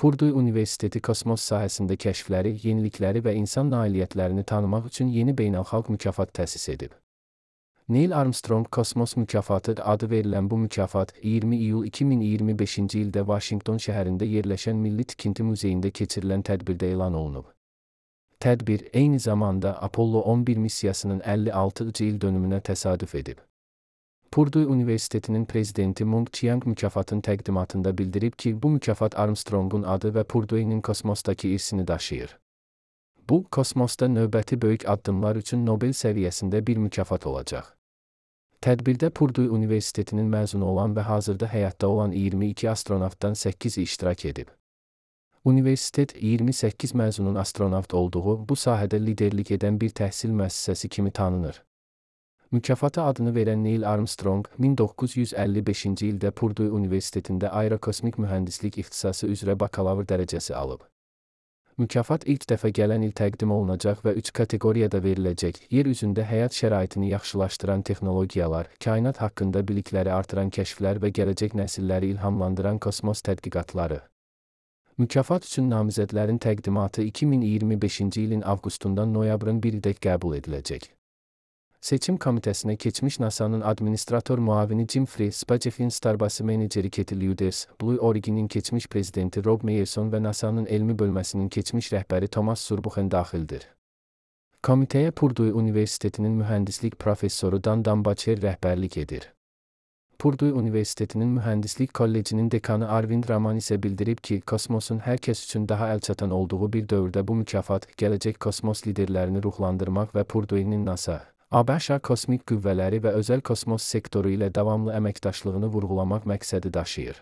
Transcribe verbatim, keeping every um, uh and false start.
Purdue Universiteti kosmos sahəsində kəşfləri, yenilikləri və insan nailiyyətlərini tanımaq üçün yeni beynəlxalq mükafat təsis edib. Neil Armstrong Kosmos Mükafatı adı verilən bu mükafat iyirmi iyul iki min iyirmi beşinci ildə Vaşinqton şəhərində yerləşən Milli Tikinti Muzeyində keçirilən tədbirdə elan olunub. Tədbir eyni zamanda Apollo on bir missiyasının əlli altıncı il dönümünə təsadüf edib. Purdue Universitetinin prezidenti Mung Chiang mükafatın təqdimatında bildirib ki, bu mükafat Armstrongun adı və Purdue'nin kosmosdakı irsini daşıyır. Bu, kosmosda növbəti böyük addımlar üçün Nobel səviyyəsində bir mükafat olacaq. Tədbirdə Purdue Universitetinin məzunu olan və hazırda həyatda olan iyirmi iki astronavtdan səkkizi iştirak edib. Universitet iyirmi səkkiz məzunun astronavt olduğu, bu sahədə liderlik edən bir təhsil müəssisəsi kimi tanınır. Mükafata adını verən Neil Armstrong, min doqquz yüz əlli beşinci ildə Purdue Universitetində aerokosmik mühəndislik ixtisası üzrə bakalavr dərəcəsi alıb. Mükafat ilk dəfə gələn il təqdim olunacaq və üç kateqoriyada veriləcək: yer üzündə həyat şəraitini yaxşılaşdıran texnologiyalar, kainat haqqında bilikləri artıran kəşflər və gələcək nəsilləri ilhamlandıran kosmos tədqiqatları. Mükafat üçün namizədlərin təqdimatı iki min iyirmi beşinci ilin avqustundan noyabrın birinədək qəbul ediləcək. Seçim komitəsinə keçmiş NASA'nın administrator müavini Jim Frey, SpaceX'in Starbase meneceri Katie Lueders, Blue Origin'in keçmiş prezidenti Rob Meyerson və NASA'nın elmi bölməsinin keçmiş rəhbəri Thomas Surbuchen daxildir. Komitəyə Purdue Universitetinin mühəndislik professoru Dan Dambacher rəhbərlik edir. Purdue Universitetinin Mühəndislik Kollecinin dekanı Arvind Raman isə bildirib ki, kosmosun hər kəs üçün daha əlçatan olduğu bir dövrdə bu mükafat, gələcək kosmos liderlərini ruhlandırmaq və Purdue'nin NASA, ABŞ kosmik qüvvələri və özəl kosmos sektoru ilə davamlı əməkdaşlığını vurğulamaq məqsədi daşıyır.